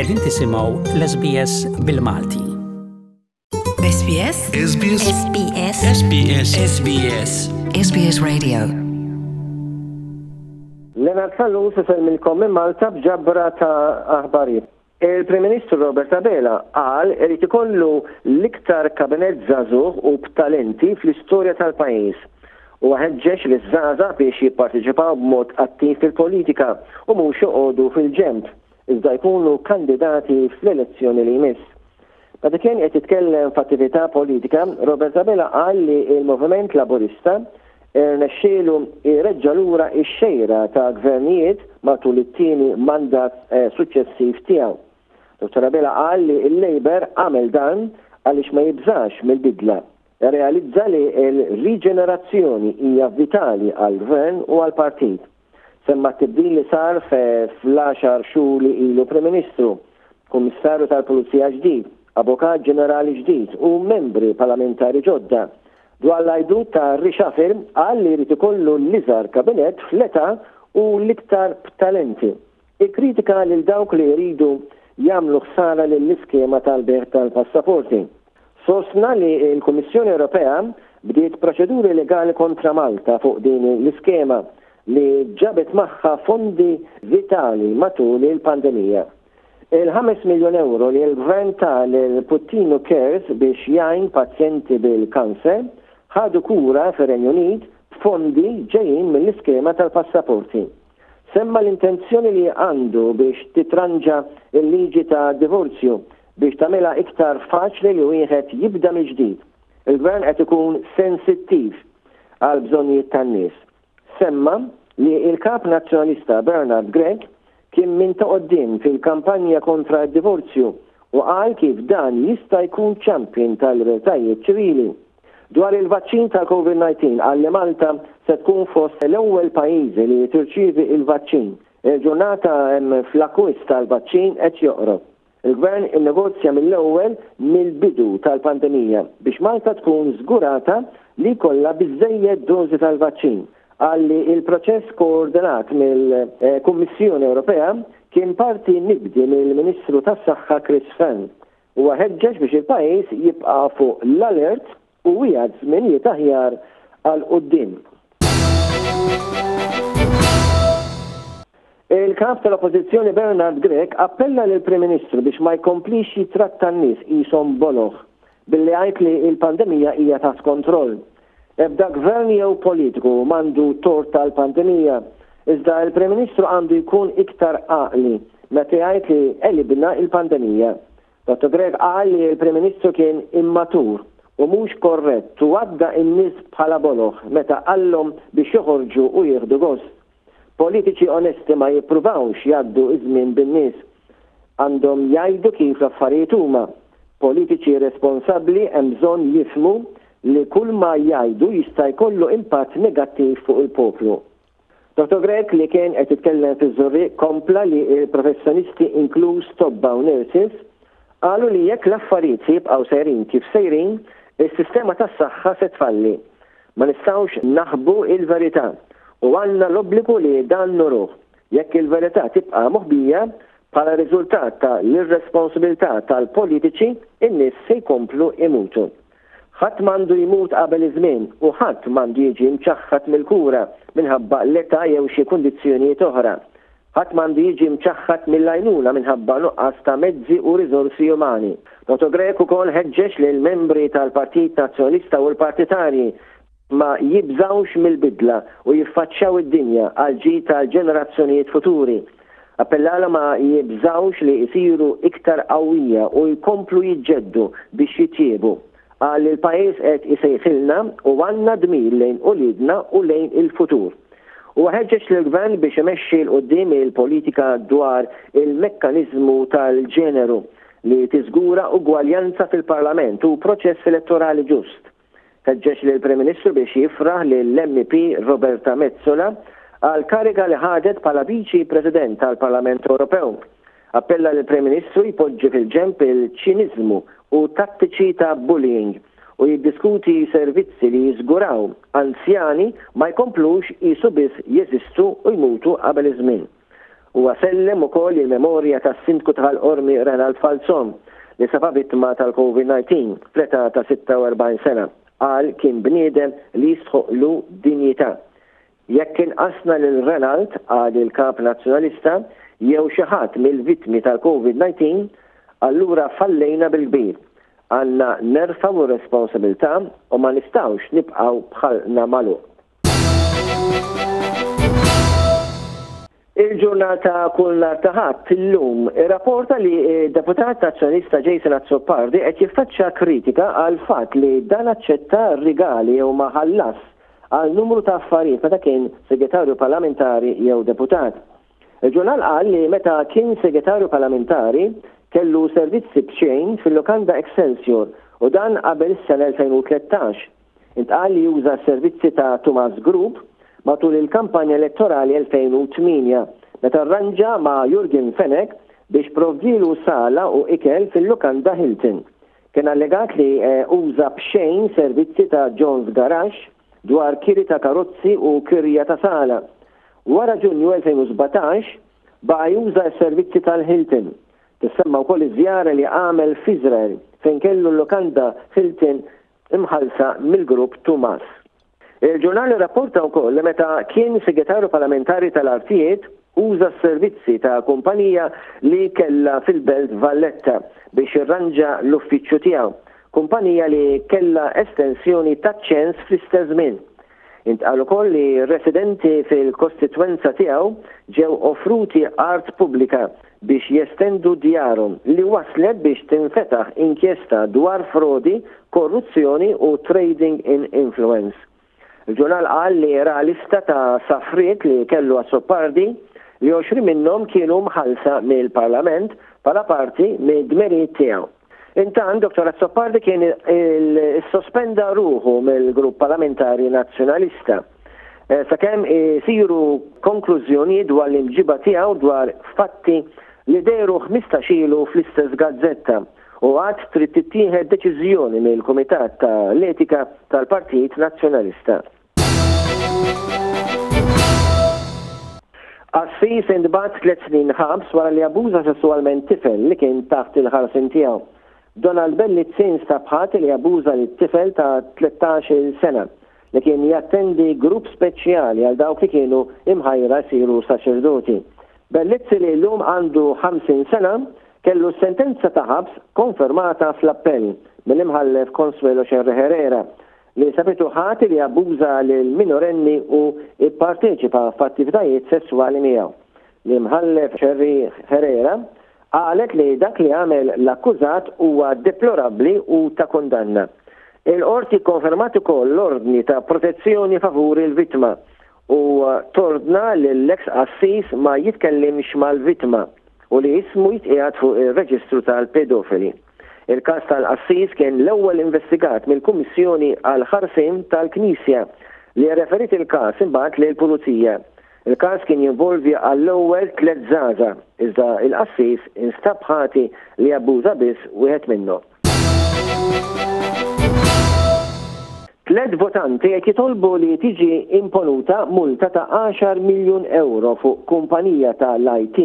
Qegħdin tisimgħu l-SBS bil-Malti. SBS SBS SBS SBS SBS SBS Radio Leonard Sallus isellmilkom minn Malta b'ġabra ta' aħbarijiet. Il-Prim Ministru Robert Abela qal irid ikollu l-iktar kabinett żagħżugħ u b'talenti fl-istorja tal-pajjiż. Huwa ħeġġeġ liż-żgħażagħ biex jipparteċipaw b'mod attiv fil-politika u mhux joqogħdu fil-ġenb, iżda jkunu kandidati fl-elezzjoni li jmiss. Meta kien qed jitkellem f'attività politika, Robert Abela qal li l-Moviment Laburista Irnexxielu jreġġa' lura x-xejra ta' gvernijiet matul it-tieni mandat suċċessiv tiegħu. Dottor Abela qal li l-Labour għamel dan għaliex ma jibżax mill-bidla. Irrealizza li l-riġenerazzjoni hija vitali għall-Gvern u għall-partit. Semma t-tibdil li sar fl-għaxar xhur li ilu Prim Ministru, Kummissarju tal-Pulizija ġdid, Avukat Ġenerali ġdid u membri parlamentari ġodda. Dwar l-għajdut ta' reshuffle qal li jrid ikollu l-iżgħar kabinett fl-età u l-iktar b'talenti. Ikkritika lil dawk li jridu jagħmlu ħsara lill-iskema tal-bejgħ tal-passaporti. Sostna li l-Kummissjoni Ewropea bdiet proċeduri legali kontra Malta fuq din l-iskema li ġabet magħha fondi vitali matul il-pandemija. Il-ħames miljun ewro li l-Gvern ta lil Puttinu Cares biex jgħin pazjenti bil-kanser ħadu kura fir-Renju Unit b'fondi ġejjin mill-iskema tal-passaporti. Semma l-intenzjoni li għandu biex titranġa l-liġi ta' divorzju biex tagħmilha iktar faċli li wieħed jibda mill-ġdid. Il-Gvern qed ikun sensittiv għall-bżonnijiet tan-nies. Semma li l-Kap Nazzjonalista Bernard Grech kien minn ta' quddiem fil-kampanja kontra d-divorzju u qal kif dan jista' jkun champion tal-libertajiet ċivili. Dwar il-vaċċin tal-Covid 19 qal li Malta se tkun fost l-ewwel pajjiżi li tirċievi l-vaċċin. Il-ġurnata fl-akkwist tal-vaċċin qed joqrob. Il-Gvern innegozja mill-ewwel mill-bidu tal-pandemija biex Malta tkun żgurata li jkollha biżżejjed dożi tal-vaċċin. Qal li l-proċess koordinat mill-Kummissjoni Ewropea kien parti mibdi mill-Ministru tas-Saħħa Chris Fearne. Huwa ħeġġeġ biex il-pajjiż jibqa' fuq l-alert u wiegħed żminijiet aħjar għal quddiem. Il-Kap tal-Oppożizzjoni Bernard Grech appella lill-Prim Ministru biex ma jkomplix jittratta n-nies qishom boloh billi jgħid li l-pandemija hija taħt kontroll. Ebda gvern jew politiku m'għandu tort tal-pandemija, iżda l-Prim Ministru għandu jkun iktar għaqli meta jgħid li għelibna l-pandemija. Dottor Grech qal li l-Prim Ministru kien immatur u mhux korrett u għadda n-nies bħala boloh meta qallhom biex joħorġu u jieħdu gost. Politiċi onesti ma jippruvawx jgħaddu ż-żmien bin-nies. Għandhom jgħidu kif l-affarijiet huma. Politiċi responsabbli hemm bżonn jifhmu li kull ma jgħidu jista' jkollu impatt negattiv fuq il-poplu. Dottor Grech li kien qed jitkellem fiż-Żurrieq kompla li l-professjonisti inkluż tobba u nurses qalu li jekk l-affarijiet se jibqgħu sejrin kif sejrin, is-sistema tas-saħħa se tfalli. Ma nistgħux naħbu l-verità u għandna l-obbligu li dan nuruh. Jekk il-verità tibqa' moħbija, bħala riżultat ta' l-irresponsibilità tal-politiċi, in-nies se jkomplu jmutu. Ħadd m'għandu jmut qabel iż-żmien u ħadd m'għandu jiġi mċaħħad mill-kura minħabba l-età jew xi kundizzjonijiet oħra. Ħadd m'għandu jiġi mċaħħad mill-għajnuna minħabba nuqqas ta' mezzi u riżorsi umani. Dottor Grech ukoll ħeġġeġ lill-membri tal-Partit Nazzjonalista u l-partitarji ma jibżgħux mill-bidla u jiffaċċjaw id-dinja għall-ġid tal-ġenerazzjonijiet futuri. Appellalhom ma jibżgħux li jsiru iktar qawwija u jkomplu jiġġeddu biex jitjiebu. Qal li l-pajjiż qed isejħilna u għandna dmir lejn uliedna u lejn il-futur. Huwa ħeġġeġ lill-Gvern biex imexxi 'l quddiem il-politika dwar il-mekkaniżmu tal-ġeneru li tiżgura ugwaljanza fil-Parlament u proċess elettorali ġust. Ħeġġeġ lill-Prim Ministru biex jifraħ lill-MEP Roberta Metsola għall-kariga li ħadet bħala Viċi President tal-Parlament Ewropew. Appella lill-Prim Ministru jpoġġi fil-ġenb il-ċiniżmu u tattiċi ta' bullying u jiddiskuti servizzi li jiżguraw anzjani ma jkomplux qisu biss jeżistu u jmutu qabel iż-żmien. Huwa sellem ukoll il-memorja tas-Sindku ta' Ħal Qormi Renald Falzon li safa vittma tal-Covid-19 fl-età ta' 46 sena. Qal kien bniedem li jistħoqqlu dinjità. Jekk inqasna lil Renald, qal il-Kap Nazzjonalista, jew xi ħadd mill-vittmi tal-Covid-19, allura fallejna bil-kbir. Għandna nerfgħu r-responsabilità u ma nistgħux nibqgħu b'ħalqna magħluq. Il-ġurnal ta' kull nhar ta' Ħadd, illum, irrapporta li d-Deputat Nazzjonalista Jason Azzopardi qed jiffaċċja kritika għall-fatt li dan aċċetta rigali jew ma ħallasx għal numru ta' affarijiet meta kien Segretarju Parlamentari jew Deputat. Il-ġurnal qal li meta kien Segretarju Parlamentari kellu servizzi b'xejn fil-lukanda Excelsior u dan qabel is-sena 2013. Intqal li uża s-servizzi ta' Tumas Group matul il-kampanja elettorali 2008 meta rranġa ma' Yorgen Fenech biex provdielu sala u ikel fil-lukanda Hilton. Kien allegat li uża b'xejn servizzi ta' John's Garage dwar kiri ta' karozzi u kirja ta' sala. Wara Ġunju 2017, baqa' juża s-servizzi tal-Hilton. Tissemma wkoll iż-żjara li għamel f'Iżrael fejn kellu l-lukanda Hilton imħallsa mill-grupp Tumas. Il-ġurnal irrapporta wkoll li meta kien Segretarju Parlamentari tal-Artijiet uża s-servizzi ta' kumpanija li kellha fil-Belt Valletta biex jirranġa l-uffiċċju tiegħu, kumpanija li kellha estensjoni taċ-ċens fl-istess żmien. Intqal ukoll li residenti fil-kostitwenza tiegħu ġew offruti art pubblika biex jestendu djarhom li wasslet biex tinfetaħ inkjesta dwar frodi, korruzzjoni u trading in influence. Il-ġurnal qal li ra lista ta' safriet li kellu Azzopardi li 20 minnhom kienu mħallsa mill-Parlament bħala parti mid-dmirijiet tiegħu. Intant, Dottor Azzopardi kien issospenda ruħu mill-Grupp Parlamentari Nazzjonalista sakemm isiru konklużjonijiet dwar l-imġiba tiegħu dwar fatti li dehru 15 ilu fl-istess gazzetta u għad trid tittieħed deċiżjoni mill-Kumitat ta' l-Etika tal-Partit Nazzjonalista. Qassis intbagħat tliet snin ħabs wara li abbuża sesswalment tifel li kien taħt il-ħarsien tiegħu. Donald Bellizzi instab ħati li abbuża lit-tifel ta' 13-il sena li kien jattendi grupp speċjali għal dawk li kienu imħajra jsiru saċerdoti. Bellizzi li llum għandu 50 sena kellu s-sentenza ta' ħabs konfermata fl-appell mill-Imħallef Consuelo Scerri Herrera li sabitu ħati li abbuża lil minorenni u pparteċipa f'attivitajiet sesswali miegħu. L-Imħallef Scerri Herrera qalet li dak li għamel l-akkużat huwa deplorabbli u ta' kundanna. Il-Qorti kkonfermat ukoll l-ordni ta' protezzjoni favur il-vittma u tordna lill-eks qassis ma jitkellimx mal-vittma u li ismu jitqiegħed fuq ir-reġistru tal-pedofili. Il-każ tal-qassis kien l-ewwel investigat mill-Kummissjoni għall-Ħarsien tal-Knisja li rreferiet il-każ imbagħad lill-Pulizija. Il-każ kien jinvolvi għall-ewwel tlett żgħażagħ, iżda l-qassis instab ħati li abbuża biss wieħed minnhom. Tlett votanti qed jitolbu li tiġi imponuta multa ta' għaxar miljun ewro fuq kumpanija ta' l-IT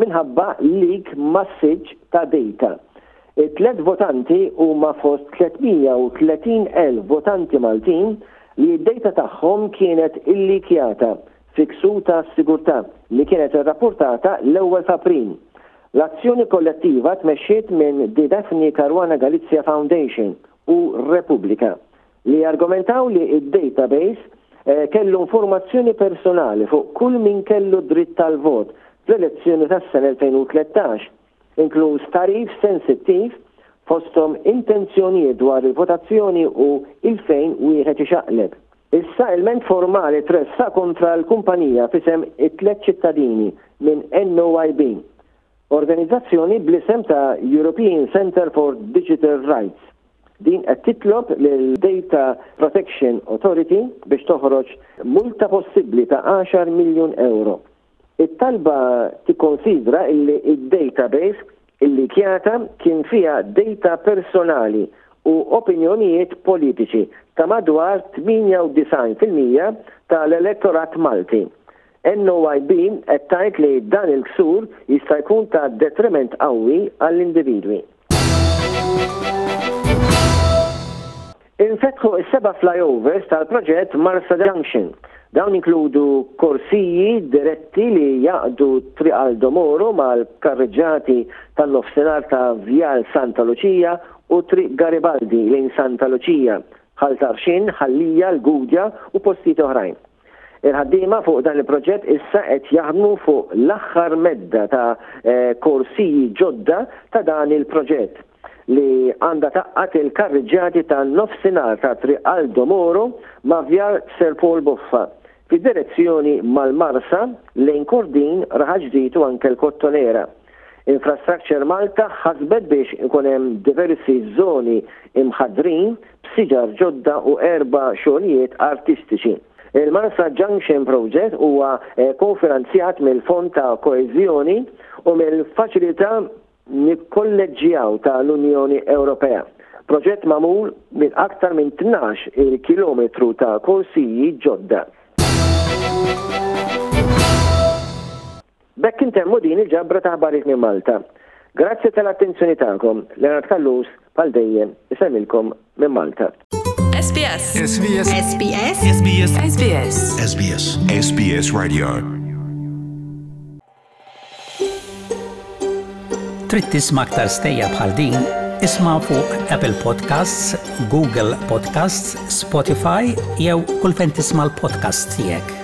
minħabba leak massiċċ ta' data. It-tlett votanti huma fost 330,000 votanti Maltin li d-data tagħhom kienet illikjata fi ksur ta' sigurtà li kienet irrappurtata l-ewwel f'April. L-azzjoni kollettiva tmexxiet minn The Daphne Caruana Galizia Foundation u Repubblika, li argumentaw li d-database kellu informazzjoni personali fuq kull min kellu dritt tal-vot fl-elezzjoni tas-sena 2013, inkluż tagħrif sensittiv fosthom intenzjonijiet dwar il-votazzjoni u 'il fejn wieħed ixaqleb. Issa ilment formali tressaq kontra l-kumpanija f'isem it-tliet ċittadini minn NOIB, organizzazzjoni bl-isem ta' European Centre for Digital Rights. Din qed titlob lil Data Protection Authority biex toħroġ multa possibbli ta' għaxar miljun ewro. It-talba tikkonsidra illi d-database illikjata kien fiha data personali u opinjonijiet politiċi ta' madwar 98% tal-elettorat Malti. NOYB qed tgħid li dan il-ksur jista' jkun ta' detriment qawwi għall-individwi. Infetħu s-seba' flyovers tal-proġett Marsa Junction. Dawn jinkludu korsiji diretti li jgħaqqdu Triq Aldo Moro mal-karreġġati tan-nofsinhar ta' Vjal Santa Luċija u Triq Garibaldi lejn Santa Luċija, Ħal Tarxien, Ħal Lija, l-Gudja u postijiet oħrajn. Il-ħaddiema fuq dan il-proġett issa qed jaħdmu fuq l-aħħar medda ta' korsiji ġodda ta' dan il-proġett li għandha tgħaqqad il-karriġġati tan-nofsinhar ta' Triq Aldo Moro ma' Vjal Sir Paul Boffa fid-direzzjoni mal-Marsa lejn Kordin, Raħal Ġdid u anke l-Kottonera. Infrastructure Malta ħasbet biex ikun hemm diversi żoni imħaddrin b'siġar ġodda u erba' xogħlijiet artistiċi. Il-Marsa Junction Project huwa kofinanzjat mill-Fond ta' Koeżjoni u mill-Faċilità Nikkolleġġjaw ta' l-Unjoni Ewropea. Proġett magħmul minn aktar minn 12-il kilometru ta' korsiji ġodda. B'hekk intemmu din il-ġabra ta' aħbarijiet minn Malta. Grazzi tal-attenzjoni tagħkom. Leonard Callus, bħal dejjem, isellmilkom minn Malta. SBS. SBS. SBS. SBS. SBS. SBS. SBS Radio. Trid tisma' aktar stejjer bħal din? Isma' fuq Apple Podcasts, Google Podcasts, Spotify jew kull fejn tisma' l-podcasts tiegħek.